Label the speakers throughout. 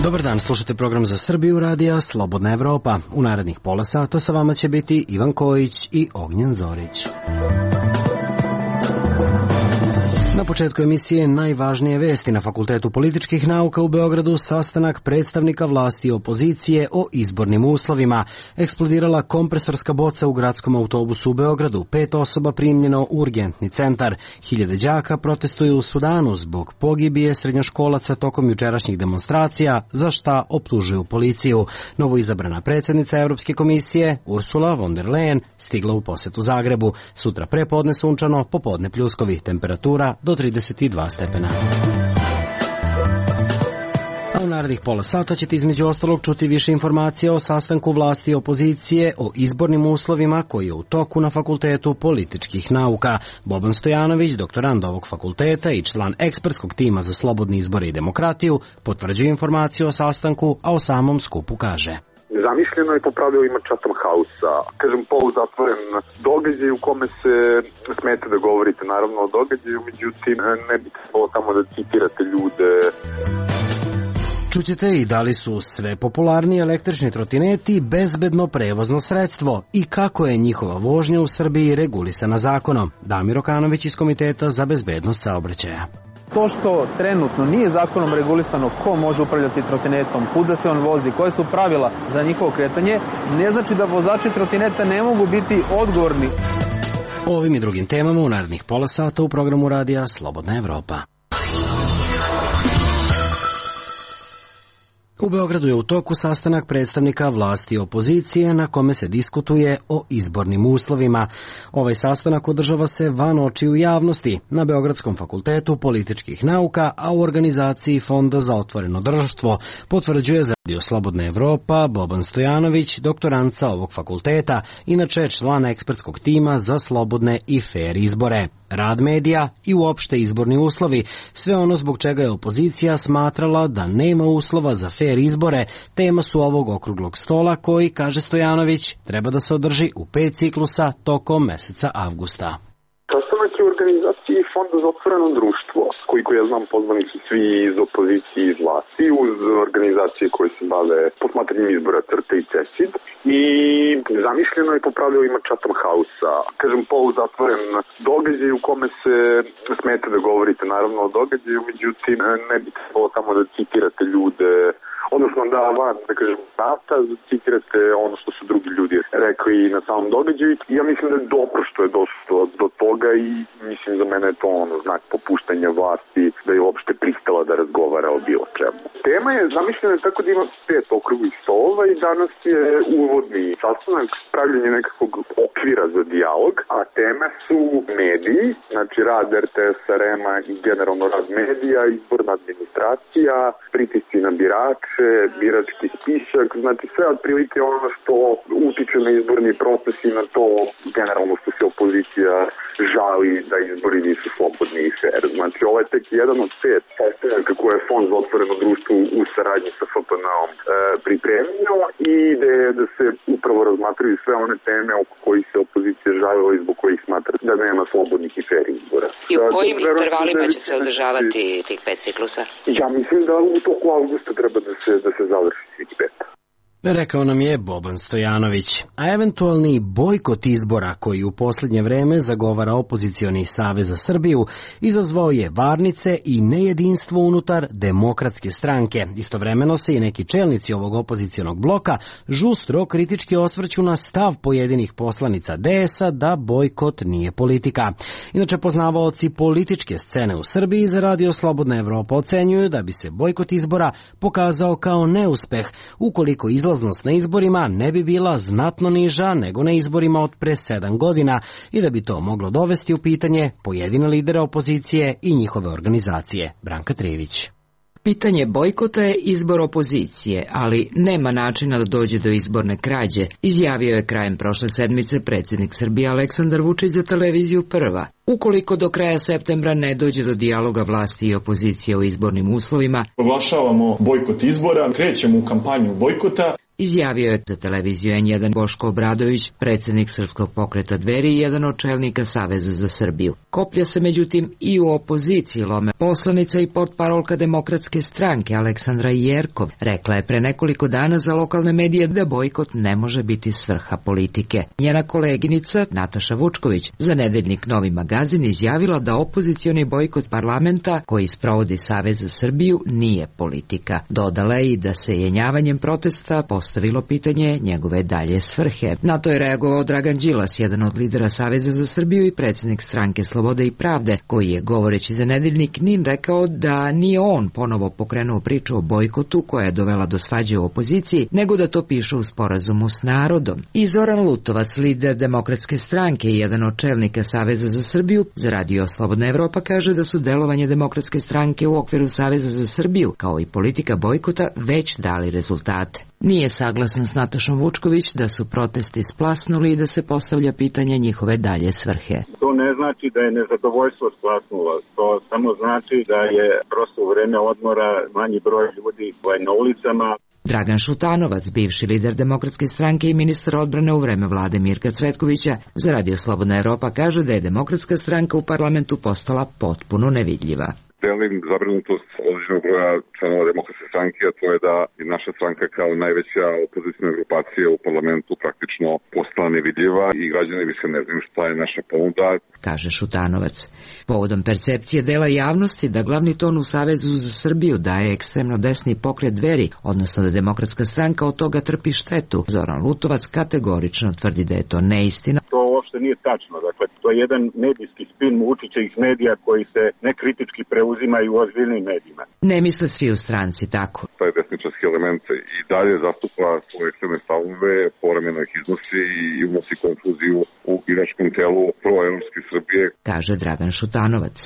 Speaker 1: Dobar dan, slušate program za Srbiju radija Slobodna Evropa. U narednih pola sata sa vama će biti Ivan Kojić i Ognjen Zorić. Na početku emisije najvažnije vesti. Na Fakultetu političkih nauka u Beogradu sastanak predstavnika vlasti i opozicije o izbornim uslovima. Eksplodirala kompresorska boca u gradskom autobusu u Beogradu. 5 osoba primljeno u urgentni centar. Hiljade đaka protestuju u Sudanu zbog pogibije srednjoškolaca tokom jučerašnjih demonstracija, za šta optužuju policiju. Novoizabrana predsjednica Evropske komisije Ursula von der Leyen stigla u posetu Zagrebu. Sutra prepodne sunčano, popodne pljuskovi. Temperatura do 32 stepena. A u narednih pola sata ćete između ostalog čuti više informacija o sastanku vlasti i opozicije o izbornim uslovima koji je u toku na Fakultetu političkih nauka. Boban Stojanović, doktorand ovog fakulteta i član ekspertskog tima za slobodne izbore i demokratiju, potvrđuje informaciju o sastanku, a o samom skupu kaže:
Speaker 2: Zamišljeno je po pravilima Chatham House-a, kažem poluzatvoren događaj u kome se smete da govorite naravno o događaju, međutim ne bi trebalo tamo da citirate ljude.
Speaker 1: Čućete i da li su sve popularniji električni trotineti bezbedno prevozno sredstvo i kako je njihova vožnja u Srbiji regulisana zakonom. Damir Okanović iz Komiteta za bezbednost saobraćaja.
Speaker 3: To što trenutno nije zakonom regulisano ko može upravljati trotinetom, kuda se on vozi, koje su pravila za njihovo kretanje, ne znači da vozači trotineta ne mogu biti odgovorni.
Speaker 1: O ovim i drugim temama u narednih pola sata u programu radija Slobodna Evropa. U Beogradu je u toku sastanak predstavnika vlasti i opozicije na kome se diskutuje o izbornim uslovima. Ovaj sastanak održava se van očiju javnosti na Beogradskom fakultetu političkih nauka, a u organizaciji Fonda za otvoreno društvo, potvrđuje za Radio Slobodna Evropa Boban Stojanović, doktorant sa ovog fakulteta, inače član ekspertskog tima za slobodne i fer izbore. Rad medija i uopšte izborni uslovi, sve ono zbog čega je opozicija smatrala da nema uslova za fer izbore, tema su ovog okruglog stola koji, kaže Stojanović, treba da se održi u 5 ciklusa tokom meseca avgusta.
Speaker 2: Sastanak je u organizaciji Fonda za otvoreno društvo, koliko ja znam pozvani su svi iz opozicije i iz vlasti, uz organizacije koje se bave posmatranjem izbora CRTA i CESID, i zamišljeno je po pravilima Chatham House-a, kažem poluzatvoren događaj u kome se smete da govorite naravno o događaju, međutim ne bi trebalo tamo da citirate ljude, odnosno da van, da kažem, data, citirate ono što su drugi ljudi rekli na samom događaju. Ja mislim da je dobro što je došlo do toga i mislim za mene je to znak popuštanja vlasti, da je uopšte pristala da razgovara o bilo čemu. Tema je zamišljena tako da ima 5 okruglih stolova i danas je uvodni sastanak, pravljenje nekakvog okvira za dijalog, a teme su mediji, znači rad RTS-a, REM-a i generalno rad medija, izborna administracija, pritisci na birače, birački spisak, znači sve otprilike ono što utiče na izborni proces i na to generalno što se opozicija žali da izbori nisu slobodni i fer. Znači ovo je tek jedan od 5 sastanaka koje je Fond za otvoreno društvo u saradnji sa FPN-om pripremio i ideja je da se upravo razmatraju sve one teme oko kojih se opozicija žalila i zbog kojih smatra da nema slobodnih i fer izbora.
Speaker 4: I u kojim intervalima će se održavati tih 5 ciklusa?
Speaker 2: Ja mislim da u toku avgusta treba da se završi svih 5.
Speaker 1: Rekao nam je Boban Stojanović. A eventualni bojkot izbora koji u posljednje vreme zagovara opozicioni Savez za Srbiju izazvao je varnice i nejedinstvo unutar Demokratske stranke. Istovremeno se i neki čelnici ovog opozicionog bloka žustro kritički osvrću na stav pojedinih poslanica DS-a da bojkot nije politika. Inače, poznavaoci političke scene u Srbiji za Radio Slobodna Evropa ocenjuju da bi se bojkot izbora pokazao kao neuspeh ukoliko izlaznost na izborima ne bi bila znatno niža nego na izborima od pre 7 godina i da bi to moglo dovesti u pitanje pojedine lidere opozicije i njihove organizacije. Branka Trijević.
Speaker 5: Pitanje bojkota je izbor opozicije, ali nema načina da dođe do izborne krađe, izjavio je krajem prošle sedmice predsjednik Srbije Aleksandar Vučić za televiziju Prva. Ukoliko do kraja septembra ne dođe do dijaloga vlasti i opozicije o izbornim uslovima,
Speaker 6: oglašavamo bojkot izbora, krećemo u kampanju bojkota.
Speaker 5: izjavio je za televiziju N1 Boško Obradović, predsjednik Srpskog pokreta Dveri i jedan od čelnika Saveza za Srbiju. Koplja se međutim i u opoziciji lome. Poslanica i portparolka Demokratske stranke Aleksandra Jerkov rekla je pre nekoliko dana za lokalne medije da bojkot ne može biti svrha politike. Njena koleginica Nataša Vučković za nedeljnik Novi magazin izjavila da opozicioni bojkot parlamenta koji sprovodi Savez za Srbiju nije politika. Dodala je i da se jenjavanjem protesta postavilo pitanje njegove dalje svrhe. Na to je reagovao Dragan Đilas, jedan od lidera Saveza za Srbiju i predsjednik stranke Slobode i pravde, koji je govoreći za nedeljnik NIN rekao da nije on ponovo pokrenuo priču o bojkotu koja je dovela do svađe u opoziciji, nego da to piše u sporazumu s narodom. I Zoran Lutovac, lider Demokratske stranke i jedan od čelnika Saveza za Srbiju, za radio Slobodna Evropa kaže da su delovanje Demokratske stranke u okviru Saveza za Srbiju, kao i politika bojkota, već dali rezultate. Nije saglasan s Natašom Vučković da su protesti splasnuli i da se postavlja pitanje njihove dalje svrhe.
Speaker 6: To ne znači da je nezadovoljstvo splasnulo, to samo znači da je prosto u vreme odmora manji broj ljudi na ulicama.
Speaker 5: Dragan Šutanovac, bivši lider Demokratske stranke i ministar odbrane u vreme vlade Mirka Cvetkovića, za radio Slobodna Evropa kaže da je Demokratska stranka u parlamentu postala potpuno nevidljiva.
Speaker 7: Delim zabrinutost određenog broja članova Demokratske stranke, a to je da je naša stranka kao najveća opozicijna grupacija u parlamentu praktično postala nevidljiva i građani više ne znaju šta je naša ponuda,
Speaker 5: kaže Šutanovac. Povodom percepcije dela javnosti da glavni ton u Savezu za Srbiju daje ekstremno desni pokret Dveri, odnosno da Demokratska stranka od toga trpi štetu, Zoran Lutovac kategorično tvrdi da je to neistina.
Speaker 6: To uopšte nije tačno, dakle to je jedan medijski spin Vučićevih medija koji se nekritički preuzimaju u ozbiljnim medijima.
Speaker 5: Ne misle svi u stranci tako.
Speaker 7: Taj desničarski element i dalje zastupa svoje ekstremne stavove, povremeno ih iznosi i unosi konfuziju u biračkom telu proevropske Srbije,
Speaker 5: kaže Dragan Šutanovac.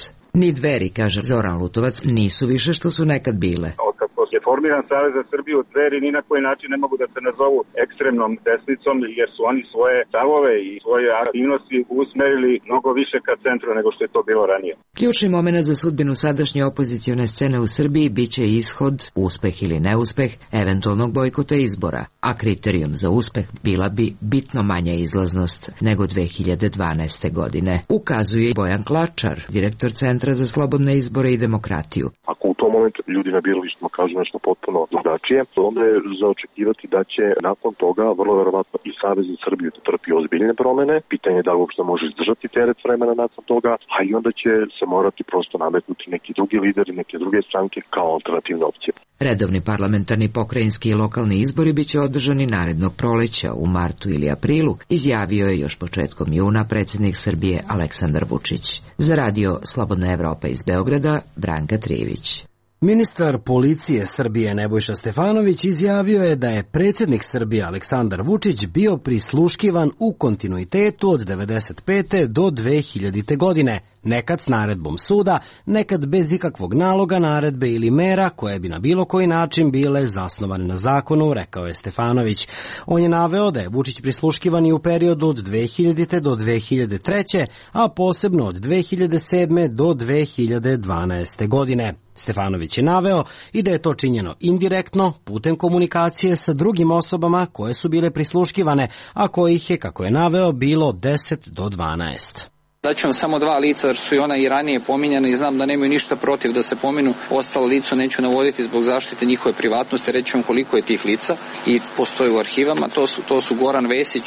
Speaker 5: Ni Dveri, kaže Zoran Lutovac, nisu više što su nekad bile.
Speaker 6: Otkako je formiran Savez za Srbiju, Dveri ni na koji način ne mogu da se nazovu ekstremnom desnicom, jer su oni svoje stavove i svoje aktivnosti usmerili mnogo više ka centru nego što je to bilo ranije.
Speaker 5: Ključni moment za sudbinu sadašnje opozicione scene u Srbiji biće ishod, uspeh ili neuspeh, eventualnog bojkota izbora, a kriterijum za uspeh bila bi bitno manja izlaznost nego 2012. godine, ukazuje Bojan Klačar, direktor Centra za slobodne izbore i demokratiju.
Speaker 8: Ako u tom momentu ljudi na biralištima kažu nešto potpuno drugačije, onda je za očekivati da će nakon toga vrlo verovatno i Savez za Srbiju da trpi ozbiljne promene. Pitanje je da li uopšte može izdržati teret vremena nakon toga, a i onda će se morati prosto nametnuti neki drugi lideri, neke druge stranke kao alternativne opcije.
Speaker 5: Redovni parlamentarni, pokrajinski i lokalni izbori biće održani narednog proleća u martu ili aprilu, izjavio je još početkom juna predsjednik Srbije Aleksandar Vučić. Za radio Slobodna Evropa iz Beograda, Branka Trijević.
Speaker 1: Ministar policije Srbije Nebojša Stefanović izjavio je da je predsjednik Srbije Aleksandar Vučić bio prisluškivan u kontinuitetu od 1995. do 2000. godine, nekad s naredbom suda, nekad bez ikakvog naloga, naredbe ili mera koje bi na bilo koji način bile zasnovane na zakonu, rekao je Stefanović. On je naveo da je Vučić prisluškivan i u periodu od 2000. do 2003. a posebno od 2007. do 2012. godine. Stefanović je naveo i da je to činjeno indirektno putem komunikacije sa drugim osobama koje su bile prisluškivane, a kojih je, kako je naveo, bilo 10 do 12.
Speaker 9: Daću vam samo dva lica, jer su i ona i ranije pominjana i znam da nemaju ništa protiv da se pominu. Ostalo licu neću navoditi zbog zaštite njihove privatnosti, reći vam koliko je tih lica i postoji u arhivama. To su Goran Vesić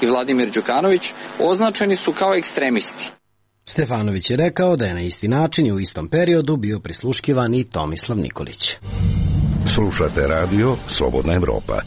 Speaker 9: i Vladimir Đukanović. Označeni su kao ekstremisti.
Speaker 1: Stefanović je rekao da je na isti način i u istom periodu bio prisluškivan i Tomislav Nikolić.
Speaker 10: Slušate radio Slobodna Evropa.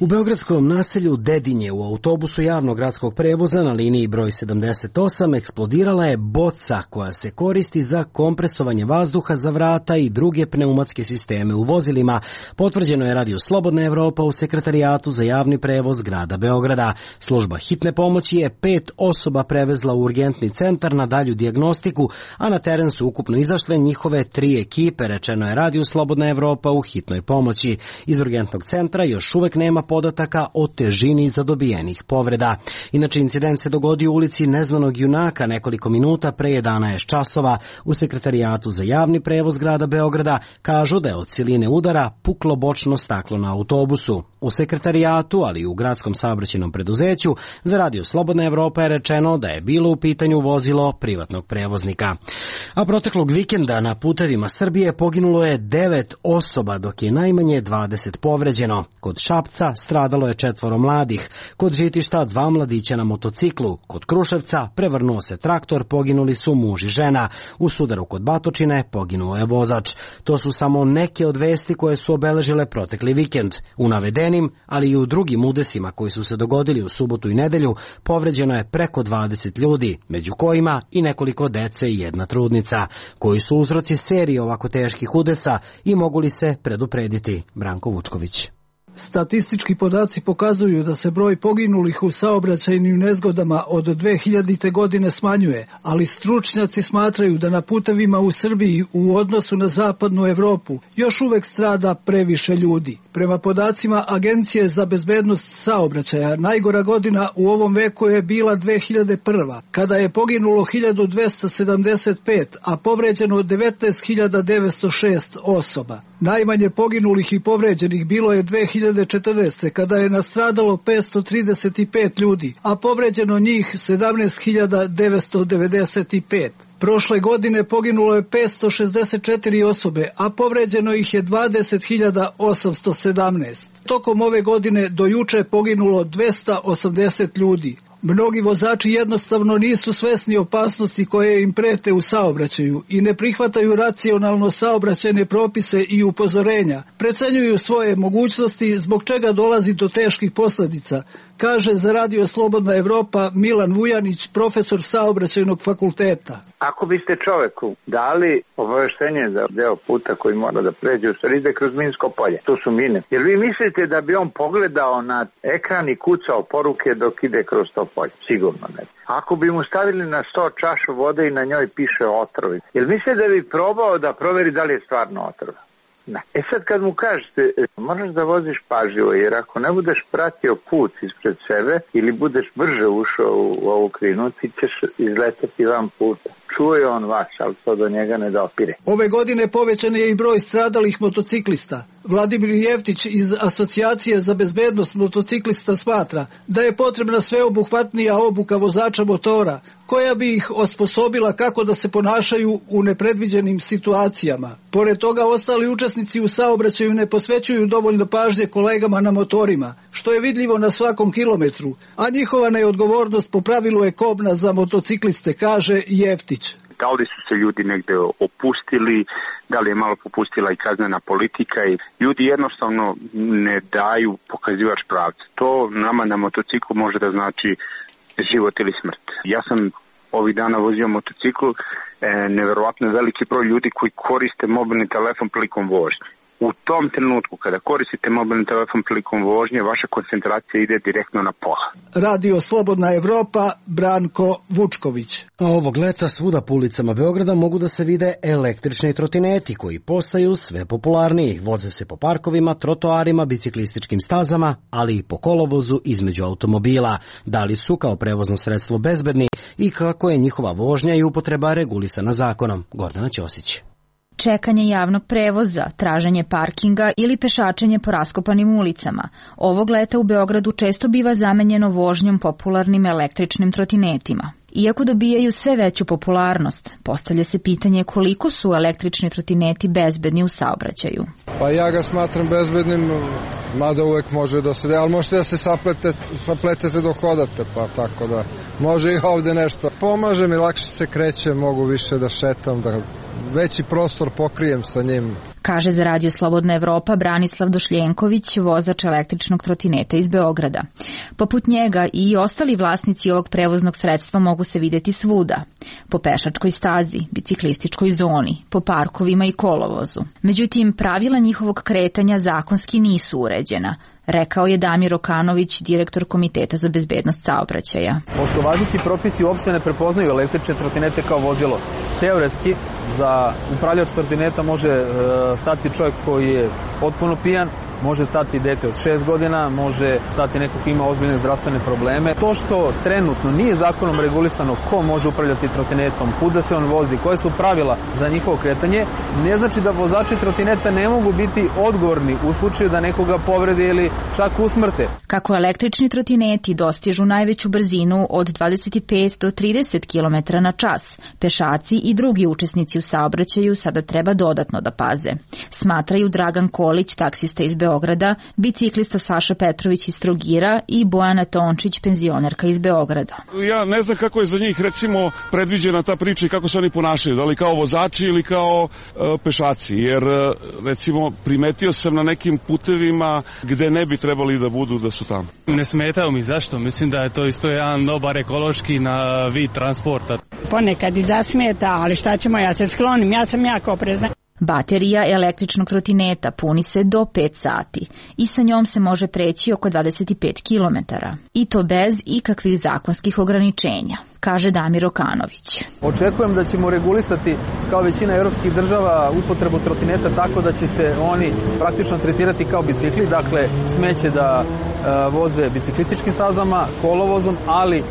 Speaker 1: U beogradskom naselju Dedinje u autobusu javnog gradskog prevoza na liniji broj 78 eksplodirala je boca koja se koristi za kompresovanje vazduha za vrata i druge pneumatske sisteme u vozilima, potvrđeno je radio Slobodna Evropa u Sekretarijatu za javni prevoz grada Beograda. Služba hitne pomoći je 5 osoba prevezla u urgentni centar na dalju dijagnostiku, a na teren su ukupno izašle njihove 3 ekipe, rečeno je radio Slobodna Evropa u hitnoj pomoći. Iz urgentnog centra još uvek nema podataka o težini zadobijenih povreda. Inače, incident se dogodio u ulici Neznanog junaka nekoliko minuta pre 11 časova u Sekretarijatu za javni prevoz grada Beograda. Kažu da je od siline udara puklo bočno staklo na autobusu. U Sekretarijatu, ali i u gradskom saobraćajnom preduzeću za Radio Slobodna Evropa je rečeno da je bilo u pitanju vozilo privatnog prevoznika. A proteklog vikenda na putevima Srbije poginulo je 9 osoba, dok je najmanje 20 povređeno. Kod Šapca stradalo je 4 mladih, kod Žitišta 2 mladića na motociklu, kod Kruševca prevrnuo se traktor, poginuli su muž i žena. U sudaru kod Batočine poginuo je vozač. To su samo neke od vesti koje su obeležile protekli vikend. U navedenim, ali i u drugim udesima koji su se dogodili u subotu i nedelju, povređeno je preko 20 ljudi, među kojima i nekoliko dece i jedna trudnica. Koji su uzroci serije ovako teških udesa i mogu li se preduprediti? Branko Vučković.
Speaker 11: Statistički podaci pokazuju da se broj poginulih u saobraćajnim nezgodama od 2000. godine smanjuje, ali stručnjaci smatraju da na putevima u Srbiji u odnosu na zapadnu Evropu još uvek strada previše ljudi. Prema podacima Agencije za bezbednost saobraćaja, najgora godina u ovom veku je bila 2001. kada je poginulo 1275, a povređeno 19.906 osoba. Najmanje poginulih i povređenih bilo je 2014. kada je nastradalo 535 ljudi, a povređeno njih 17.995. Prošle godine poginulo je 564 osobe, a povređeno ih je 20.817. Tokom ove godine do juče poginulo 280 ljudi. Mnogi vozači jednostavno nisu svesni opasnosti koje im prete u saobraćaju i ne prihvataju racionalno saobraćajne propise i upozorenja. Precenjuju svoje mogućnosti zbog čega dolazi do teških posljedica, kaže za Radio Slobodna Evropa Milan Vujanić, profesor saobraćajnog fakulteta.
Speaker 12: Ako biste čoveku dali obaveštenje za deo puta koji mora da pređe, u stvari ide kroz minsko polje, to su mine. Jer vi mislite da bi on pogledao na ekran i kucao poruke dok ide kroz to polje? Sigurno ne. Ako bi mu stavili na 100 čašu vode i na njoj piše otrovi, jel mislite da bi probao da proveri da li je stvarno otrov? Ne. Sad kad mu kažete, moraš da voziš pažljivo, jer ako ne budeš pratio put ispred sebe ili budeš brže ušao u ovu krinu, ti ćeš izletati van puta. Čuje on vas, ali to do njega ne dopire.
Speaker 11: Ove godine povećan je i broj stradalih motociklista. Vladimir Jeftić iz Asocijacije za bezbednost motociklista smatra da je potrebna sveobuhvatnija obuka vozača motora, koja bi ih osposobila kako da se ponašaju u nepredviđenim situacijama. Pored toga, ostali učesnici u saobraćaju ne posvećuju dovoljno pažnje kolegama na motorima, što je vidljivo na svakom kilometru, a njihova neodgovornost po pravilu je kobna za motocikliste, kaže Jeftić.
Speaker 13: Da li su se ljudi negde opustili, da li je malo popustila i kaznena politika i ljudi jednostavno ne daju pokazivač pravca. To nama na motociklu može da znači život ili smrt. Ja sam ovih dana vozio motocikl, neverovatno veliki broj ljudi koji koriste mobilni telefon prilikom vožnje. U tom trenutku kada koristite mobilni telefon prilikom vožnje, vaša koncentracija ide direktno na pola.
Speaker 11: Radio Slobodna Evropa, Branko Vučković.
Speaker 1: A ovog leta svuda po ulicama Beograda mogu da se vide električni trotineti koji postaju sve popularniji. Voze se po parkovima, trotoarima, biciklističkim stazama, ali i po kolovozu između automobila. Da li su kao prevozno sredstvo bezbedni i kako je njihova vožnja i upotreba regulisana zakonom? Gordana Ćosić.
Speaker 14: Čekanje javnog prevoza, traženje parkinga ili pešačenje po raskopanim ulicama. Ovog leta u Beogradu često biva zamenjeno vožnjom popularnim električnim trotinetima. Iako dobijaju sve veću popularnost, postavlja se pitanje koliko su električni trotineti bezbedni u saobraćaju.
Speaker 15: Pa ja ga smatram bezbednim, mada uvek može da se, ali možete da se sapletete dok hodate, pa tako da može i ovde nešto. Pomaže mi, lakše se kreće, mogu više da šetam, da veći prostor pokrijem sa njim.
Speaker 14: Kaže za Radio Slobodna Evropa Branislav Došljenković, vozač električnog trotineta iz Beograda. Poput njega i ostali vlasnici ovog prevoznog sredstva mogu se videti svuda. Po pešačkoj stazi, biciklističkoj zoni, po parkovima i kolovozu. Međutim, pravila njihovog kretanja zakonski nisu uređena. rekao je Damir Okanović, direktor Komiteta za bezbednost saobraćaja.
Speaker 3: Pošto važeći propisi uopšte ne prepoznaju električne trotinete kao vozilo, teoretski za upravljač trotineta može stati čovjek koji je potpuno pijan, može stati dete od 6 godina, može stati neko ko ima ozbiljne zdravstvene probleme. To što trenutno nije zakonom regulisano ko može upravljati trotinetom, kuda se on vozi, koje su pravila za njihovo kretanje, ne znači da vozači trotineta ne mogu biti odgovorni u slučaju da nekoga povrede ili čak usmrte.
Speaker 14: Kako električni trotineti dostižu najveću brzinu od 25 do 30 km na čas, pešaci i drugi učesnici u saobraćaju sada treba dodatno da paze. Smatraju Dragan Kolić, taksista iz Beograda, biciklista Saša Petrović iz Trogira i Bojana Tončić, penzionerka iz Beograda.
Speaker 16: Ja ne znam kako je za njih recimo predviđena ta priča i kako se oni ponašaju, da li kao vozači ili kao pešaci, jer recimo primetio sam na nekim putevima gde ne bi trebali da budu da su tamo.
Speaker 17: Ne smetaju mi, zašto? Mislim da je to isto jedan dobar ekološki na vid transporta.
Speaker 18: Ponekad i zasmeta, ali šta ćemo, ja se sklonim, ja sam jako oprezna.
Speaker 14: Baterija električnog trotineta puni se do 5 sati i sa njom se može preći oko 25 km. I to bez ikakvih zakonskih ograničenja, kaže Damir Okanović.
Speaker 3: Očekujem da ćemo regulisati kao većina evropskih država upotrebu trotineta tako da će se oni praktično tretirati kao bicikli, dakle smeće da voze biciklističkim stazama, kolovozom, ali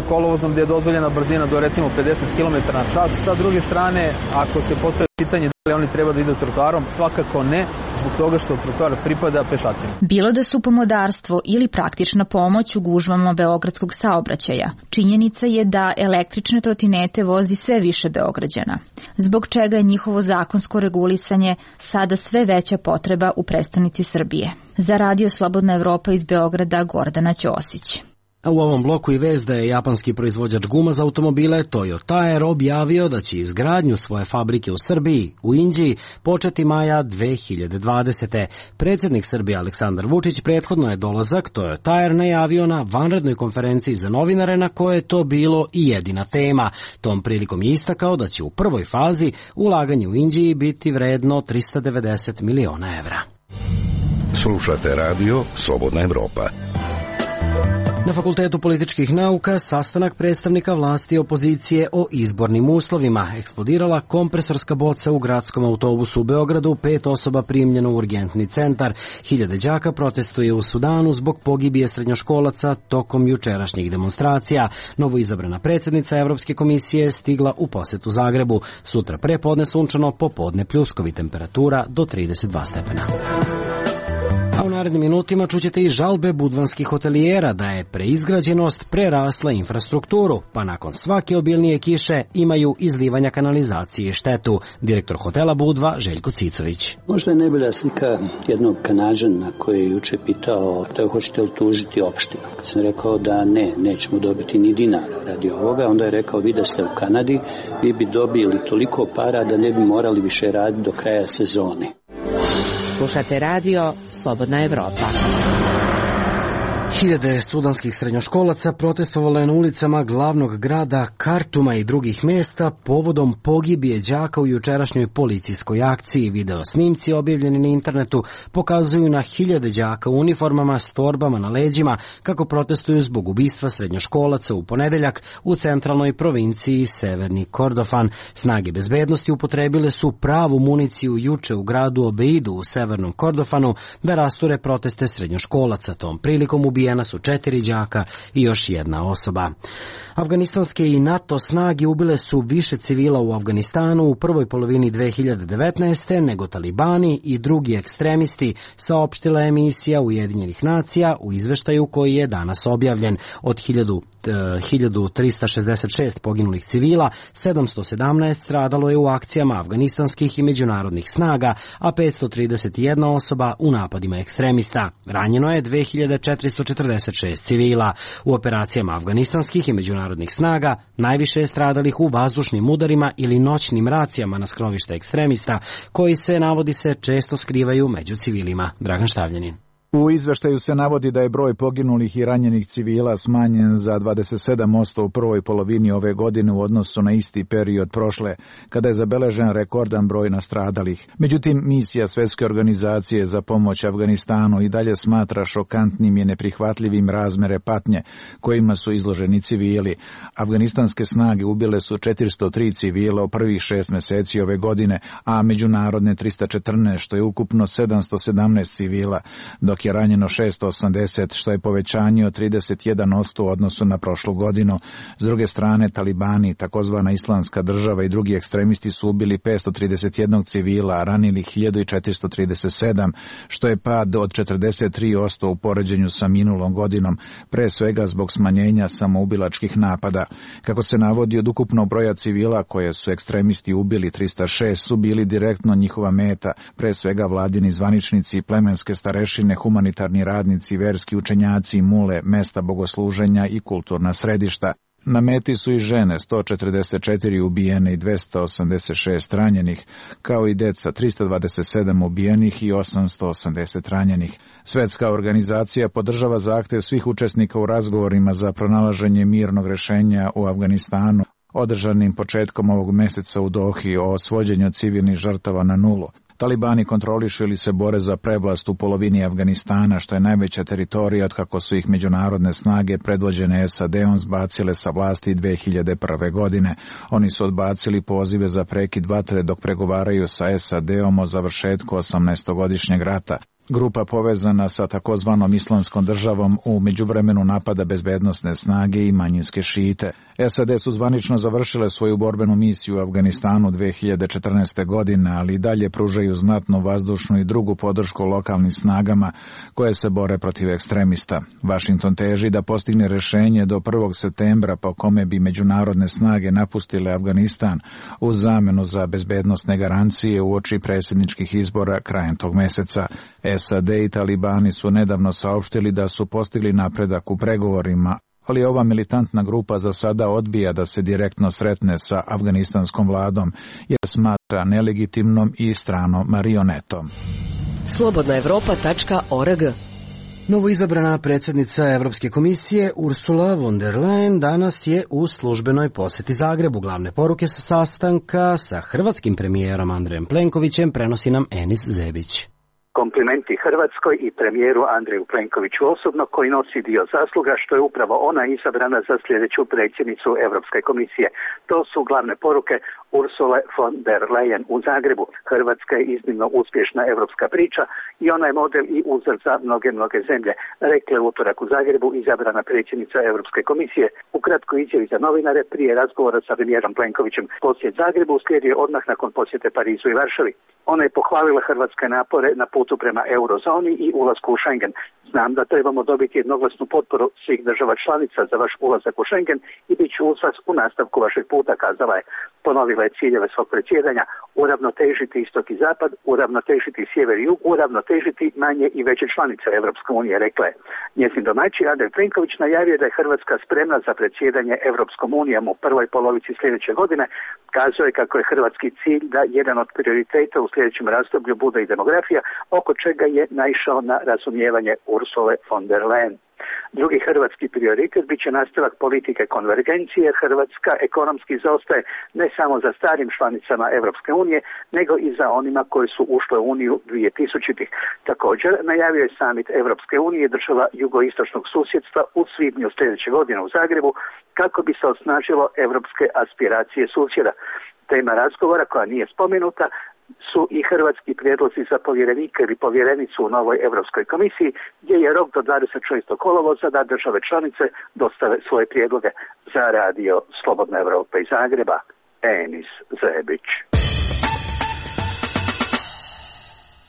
Speaker 3: kolovozom gdje je dozvoljena brzina do recimo 50 km na čas. Sa druge strane, ako se postavi pitanje da li oni treba da idu trotoarom, svakako ne, zbog toga što trotoar pripada pešacima.
Speaker 14: Bilo da su pomodarstvo ili praktična pomoć u gužvama beogradskog saobraćaja, činjenica je da električne trotinete vozi sve više Beograđana, zbog čega je njihovo zakonsko regulisanje sada sve veća potreba u prestonici Srbije. Za Radio Slobodna Evropa iz Beograda, Gordana Ćosić.
Speaker 1: A u ovom bloku i vest da je japanski proizvođač guma za automobile Toyo Tire objavio da će izgradnju svoje fabrike u Srbiji, u Inđiji, početi maja 2020. Predsjednik Srbije Aleksandar Vučić prethodno je dolazak Toyo Tire najavio na vanrednoj konferenciji za novinare na kojoj je to bilo i jedina tema. Tom prilikom je istakao da će u prvoj fazi ulaganje u Inđiji biti vredno 390 miliona evra.
Speaker 10: Slušate radio Slobodna Evropa.
Speaker 1: Na Fakultetu političkih nauka sastanak predstavnika vlasti i opozicije o izbornim uslovima. Eksplodirala kompresorska boca u gradskom autobusu u Beogradu, 5 osoba primljeno u urgentni centar. Hiljade đaka protestuje u Sudanu zbog pogibije srednjoškolaca tokom jučerašnjih demonstracija. Novoizabrana predsjednica Evropske komisije stigla u posetu Zagrebu. Sutra prepodne sunčano, popodne pljuskovi, temperatura do 32 stepena. A u narednim minutima čućete i žalbe budvanskih hotelijera da je preizgrađenost prerasla infrastrukturu, pa nakon svake obilnije kiše imaju izlivanja kanalizacije i štetu. Direktor hotela Budva Željko Cicović.
Speaker 19: Možda je najbolja slika jednog Kanađana koji je juče pitao da hoćete li tužiti opštinu. Kad sam rekao da nećemo dobiti ni dinara radi ovoga, onda je rekao vi da ste u Kanadi, vi bi dobili toliko para da ne bi morali više raditi do kraja sezone.
Speaker 5: Slušate radio Slobodna Evropa.
Speaker 1: Hiljade sudanskih srednjoškolaca protestovalo je na ulicama glavnog grada Kartuma i drugih mjesta povodom pogibije đaka u jučerašnjoj policijskoj akciji. Video snimci objavljeni na internetu pokazuju na hiljade đaka u uniformama s torbama na leđima kako protestuju zbog ubistva srednjoškolaca u ponedeljak u centralnoj provinciji Severni Kordofan. Snage bezbednosti upotrebile su pravu municiju juče u gradu Obeidu u Severnom Kordofanu da rasture proteste srednjoškolaca. Tom prilikom ubijena su 4 đaka i još jedna osoba. Afganistanske i NATO snage ubile su više civila u Afganistanu u prvoj polovini 2019. nego talibani i drugi ekstremisti, saopštila emisija Ujedinjenih nacija u izveštaju koji je danas objavljen. Od 1366 poginulih civila, 717 stradalo je u akcijama afganistanskih i međunarodnih snaga, a 531 osoba u napadima ekstremista. Ranjeno je 2446 civila. U operacijama afganistanskih i međunarodnih snaga najviše je stradalih u vazdušnim udarima ili noćnim racijama na skrovište ekstremista, koji se, navodi se, često skrivaju među civilima. Dragan Štavljanin.
Speaker 20: U izveštaju se navodi da je broj poginulih i ranjenih civila smanjen za 27% u prvoj polovini ove godine u odnosu na isti period prošle, kada je zabeležen rekordan broj nastradalih. Međutim, misija Svjetske organizacije za pomoć Afganistanu i dalje smatra šokantnim i neprihvatljivim razmere patnje kojima su izloženi civili. Afganistanske snage ubile su 403 civila u prvih 6 meseci ove godine, a međunarodne 314, što je ukupno 717 civila, dok je ranjeno 680, što je povećanje od 31% u odnosu na prošlu godinu. S druge strane, talibani, takozvana islamska država i drugi ekstremisti su ubili 531 civila, a ranili 1437, što je pad od 43% u poređenju sa minulom godinom, pre svega zbog smanjenja samoubilačkih napada. Kako se navodi, od ukupnog broja civila koje su ekstremisti ubili, 306 su bili direktno njihova meta, pre svega vladini zvaničnici, plemenske starešine, humanitarni radnici, verski učenjaci, mule, mesta bogosluženja i kulturna središta. Na meti su i žene, 144 ubijene i 286 ranjenih, kao i deca, 327 ubijenih i 880 ranjenih. Svjetska organizacija podržava zahtev svih učesnika u razgovorima za pronalaženje mirnog rješenja u Afganistanu, održanim početkom ovog meseca u Dohi, o svođenju civilnih žrtava na nulu. Talibani kontrolišu ili se bore za prevlast u polovini Afganistana, što je najveća teritorija od kako su ih međunarodne snage predvođene SAD-om zbacile sa vlasti 2001. godine. Oni su odbacili pozive za prekid vatre dok pregovaraju sa SAD-om o završetku 18-godišnjeg rata. Grupa povezana sa takozvanom islamskom državom u međuvremenu napada bezbednosne snage i manjinske šite. SAD su zvanično završile svoju borbenu misiju u Afganistanu 2014. godine, ali i dalje pružaju znatnu vazdušnu i drugu podršku lokalnim snagama koje se bore protiv ekstremista. Washington teži da postigne rješenje do 1. septembra po kome bi međunarodne snage napustile Afganistan u zamenu za bezbednosne garancije uoči predsjedničkih izbora krajem tog meseca. SAD i talibani su nedavno saopštili da su postigli napredak u pregovorima, ali ova militantna grupa za sada odbija da se direktno sretne sa afganistanskom vladom, jer smatra nelegitimnom i stranom marionetom.
Speaker 21: Slobodnaevropa.org.
Speaker 1: Novoizabrana predsjednica Evropske komisije Ursula von der Leyen danas je u službenoj posjeti Zagrebu. Glavne poruke sa sastanka sa hrvatskim premijerom Andrejem Plenkovićem prenosi nam Enis Zebić.
Speaker 22: Komplimenti Hrvatskoj i premijeru Andreju Plenkoviću osobno, koji nosi dio zasluga što je upravo ona izabrana za sljedeću predsjednicu Europske komisije. To su glavne poruke Ursule von der Leyen u Zagrebu. Hrvatska je iznimno uspješna europska priča i ona je model i uzor za mnoge zemlje, rekla je utorak u Zagrebu izabrana predsjednica Europske komisije. U kratkoj izjavi za novinare prije razgovora sa premijerom Plenkovićem. Posjet Zagrebu uslijedio odmah nakon posjete Parizu i Varšavi. Ona je pohvalila hrvatske napore na putu prema eurozoni i ulasku u Schengen. Znam da trebamo dobiti jednoglasnu potporu svih država članica za vaš ulazak u Schengen i bit ću uz vas u nastavku vašeg puta, kazala je. Ponovila je ciljeve svog predsjedanja: uravnotežiti istok i zapad, uravnotežiti sjever i jug, uravnotežiti manje i veće članice Europske unije, rekla je. Njezin domaćin Andrej Plenković najavio da je Hrvatska spremna za predsjedanje Europskom unijom u prvoj polovici sljedeće godine. Kazao je kako je hrvatski cilj da jedan od prioriteta u sljedećem razdoblju bude i demografija, oko čega je naišao na razumijevanje Ursule von der Leyen. Drugi hrvatski prioritet bit će nastavak politike konvergencije. Hrvatska ekonomski zaostaje ne samo za starim članicama Europske unije, nego i za onima koji su ušle u Uniju 2000-ih. Također najavio je summit Europske unije država jugoistočnog susjedstva u svibnju sljedeće godine u Zagrebu, kako bi se osnažilo europske aspiracije susjeda. Tema razgovora, koja nije spomenuta, su i hrvatski prijedlozi za povjerenika ili povjerenicu u novoj Europskoj komisiji, gdje je rok do 26. kolovoza da države članice dostave svoje prijedloge. Za radio Slobodna Evropa iz Zagreba, Enis Zebić.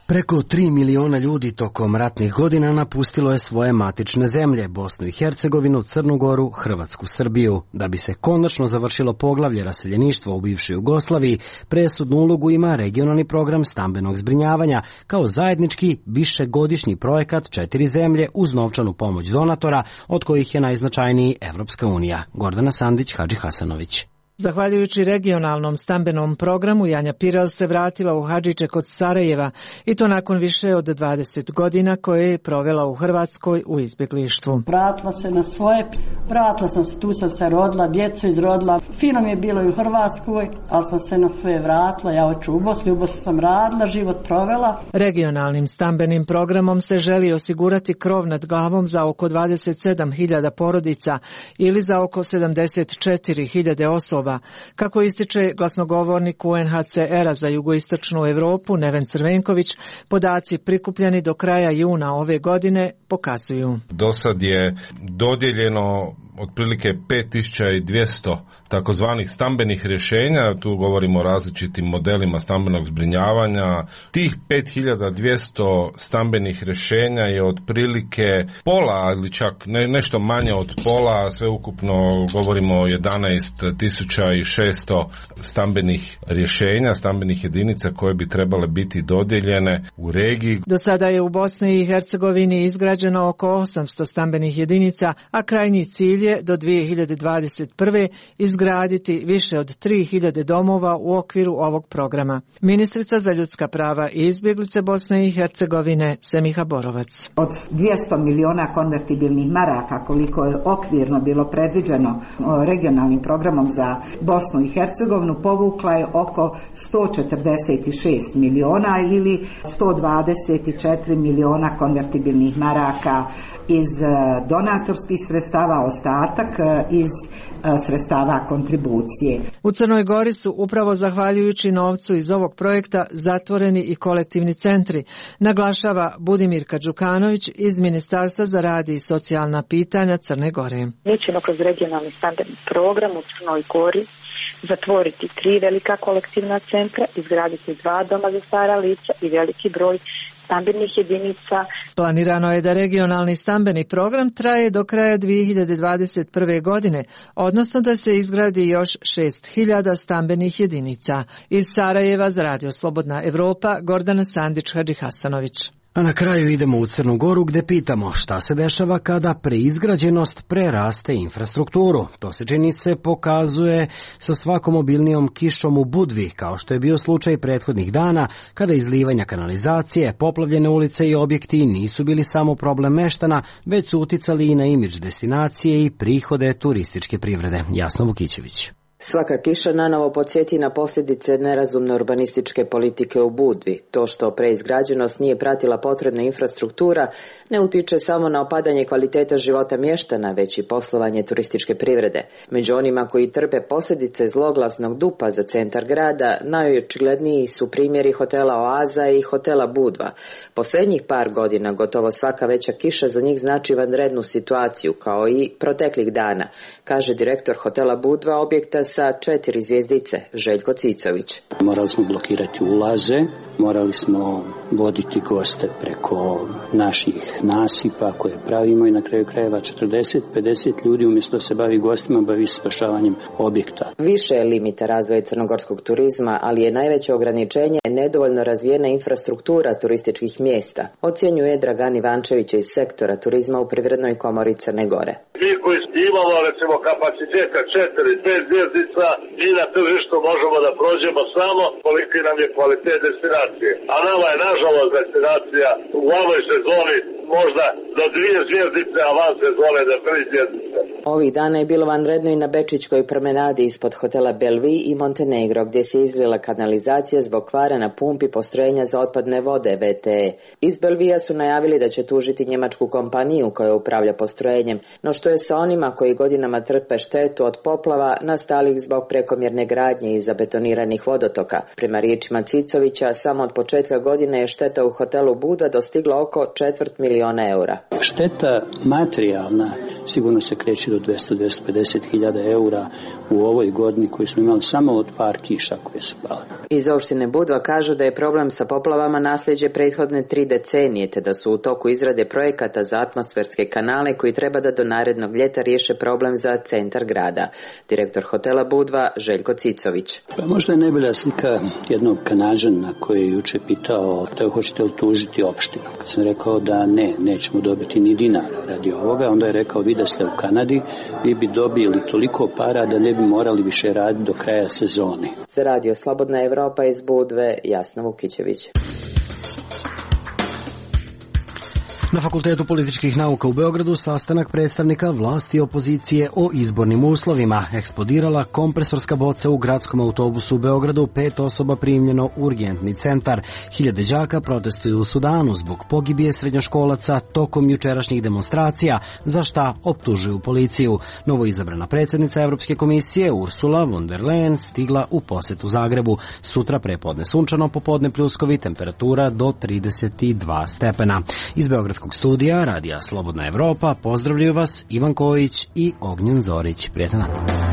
Speaker 1: Preko 3 miliona ljudi tokom ratnih godina napustilo je svoje matične zemlje, Bosnu i Hercegovinu, Crnu Goru, Hrvatsku, Srbiju. Da bi se konačno završilo poglavlje raseljeništva u bivšoj Jugoslaviji, presudnu ulogu ima regionalni program stambenog zbrinjavanja kao zajednički višegodišnji projekat 4 zemlje uz novčanu pomoć donatora, od kojih je najznačajniji Evropska unija. Gordana Sandić, Hadži Hasanović.
Speaker 4: Zahvaljujući regionalnom stambenom programu, Janja Pirel se vratila u Hadžiće kod Sarajeva i to nakon više od 20 godina koje je provela u Hrvatskoj u izbjeglištvu.
Speaker 21: Vratila se na svoje, vratila sam se, tu sam se rodila, djecu izrodila. Fino mi je bilo i u Hrvatskoj, ali sam se na svoje vratila, ja hoću u Bosni sam radila, život provela.
Speaker 4: Regionalnim stambenim programom se želi osigurati krov nad glavom za oko 27.000 porodica ili za oko 74.000 osoba. Kako ističe glasnogovornik UNHCR-a za jugoistočnu Europu Neven Crvenković, podaci prikupljeni do kraja juna ove godine pokazuju.
Speaker 23: Do sad je dodijeljeno otprilike 5200 takozvanih stambenih rješenja, tu govorimo o različitim modelima stambenog zbrinjavanja. Tih 5200 stambenih rješenja je otprilike pola ili čak nešto manje od pola, sve ukupno govorimo o 11.600 stambenih rješenja, stambenih jedinica koje bi trebale biti dodijeljene u regiji.
Speaker 4: Do sada je u Bosni i Hercegovini izgrađeno oko 800 stambenih jedinica, a krajnji cilj je do 2021. izgraditi više od 3000 domova u okviru ovog programa. Ministrica za ljudska prava i izbjeglice Bosne i Hercegovine Semiha Borovac.
Speaker 24: Od 200 miliona konvertibilnih maraka koliko je okvirno bilo predviđeno regionalnim programom za Bosnu i Hercegovinu, povukla je oko 146 miliona ili 124 miliona konvertibilnih maraka iz donatorskih sredstava, ostatak iz sredstava kontribucije.
Speaker 4: U Crnoj Gori su upravo zahvaljujući novcu iz ovog projekta zatvoreni i kolektivni centri, naglašava Budimirka Đukanović iz Ministarstva za rad i socijalna pitanja Crne Gore.
Speaker 25: Mi ćemo kroz regionalni stambeni program u Crnoj Gori zatvoriti 3 velika kolektivna centra, izgraditi 2 doma za stara lica i veliki broj stambenih jedinica.
Speaker 4: Planirano je da regionalni stambeni program traje do kraja 2021. godine, odnosno da se izgradi još 6.000 stambenih jedinica. Iz Sarajeva za Radio Slobodna Evropa, Gordana Sandić-Hadžihasanović.
Speaker 1: A na kraju idemo u Crnu Goru gdje pitamo šta se dešava kada preizgrađenost preraste infrastrukturu. To se čini se pokazuje sa svakom obilnijom kišom u Budvi, kao što je bio slučaj prethodnih dana kada izlivanja kanalizacije, poplavljene ulice i objekti nisu bili samo problem meštana, već su uticali i na imidž destinacije i prihode turističke privrede. Jasna Vukićević.
Speaker 26: Svaka kiša nanovo podsjeti na posljedice nerazumne urbanističke politike u Budvi. To što preizgrađenost nije pratila potrebna infrastruktura ne utiče samo na opadanje kvaliteta života mještana, već i poslovanje turističke privrede. Među onima koji trpe posljedice zloglasnog dupa za centar grada, najočigledniji su primjeri hotela Oaza i hotela Budva. Posljednjih par godina gotovo svaka veća kiša za njih znači vanrednu situaciju, kao i proteklih dana, kaže direktor hotela Budva, objekta sa 4 zvjezdice, Željko Cicović.
Speaker 19: Morali smo blokirati ulaze, morali smo voditi goste preko naših nasipa koje pravimo i na kraju krajeva 40-50 ljudi umjesto da se bavi gostima, bavi spašavanjem objekta.
Speaker 26: Više je limita razvoja crnogorskog turizma, ali je najveće ograničenje nedovoljno razvijena infrastruktura turističkih mjesta, ocjenjuje Dragan Ivančević iz sektora turizma u Privrednoj komori Crne Gore.
Speaker 27: Mi koji imamo recimo kapaciteta 4-5 zvjezdica, mi na tržištu možemo da prođemo samo koliki nam je kvalitet destinacije. A nama je nažalost destinacija u ovoj sezoni možda do 2 zvjezdice, a van sezone do 3 zvjezdice.
Speaker 26: Ovih dana je bilo vanredno i na Bečićkoj promenadi ispod hotela Belvi i Montenegro, gdje se izlila kanalizacija zbog kvara na pumpi postrojenja za otpadne vode VTE. Iz Belvija su najavili da će tužiti njemačku kompaniju koja upravlja postrojenjem, no što je sa onima koji godinama trpe štetu od poplava nastalih zbog prekomjerne gradnje i zabetoniranih vodotoka. Prema riječima Cicovića, samo od početka godine je šteta u hotelu Buda dostigla oko 250.000 eura.
Speaker 19: Šteta materijalna sigurno se kreće do 200-250.000 eura u ovoj godini koju smo imali samo od par kiša koje su pale.
Speaker 26: Iz opštine Budva kažu da je problem sa poplavama nasljeđe prethodne 3 decenije, te da su u toku izrade projekata za atmosferske kanale koji treba da do narednog ljeta riješe problem za centar grada. Direktor hotela Budva Željko Cicović.
Speaker 19: Pa možda je najbolja slika jednog Kanađana koji je juče pitao da hoćete li tužiti opštinu. Kad sam rekao da nećemo dobiti ni dinara radi ovoga, onda je rekao vi da ste u Kanadi, vi bi dobili toliko para da ne bi morali više raditi do kraja sezone.
Speaker 26: Za radio Slobodna Evropa iz Budve, Jasna Vukićević.
Speaker 1: Na Fakultetu političkih nauka u Beogradu sastanak predstavnika vlasti i opozicije o izbornim uslovima. Eksplodirala kompresorska boca u gradskom autobusu u Beogradu, 5 osoba primljeno u urgentni centar. Hiljade đaka protestuju u Sudanu zbog pogibije srednjoškolaca tokom jučerašnjih demonstracija, za šta optužuju policiju. Novoizabrana predsjednica Evropske komisije Ursula von der Leyen stigla u posetu Zagrebu. Sutra prepodne sunčano, popodne pljuskovi, temperatura do 32 stepena. Iz Beogradskog studija Radija Slobodna Evropa pozdravljaju vas Ivan Kojić i Ognjen Zorić. Prijetan dan.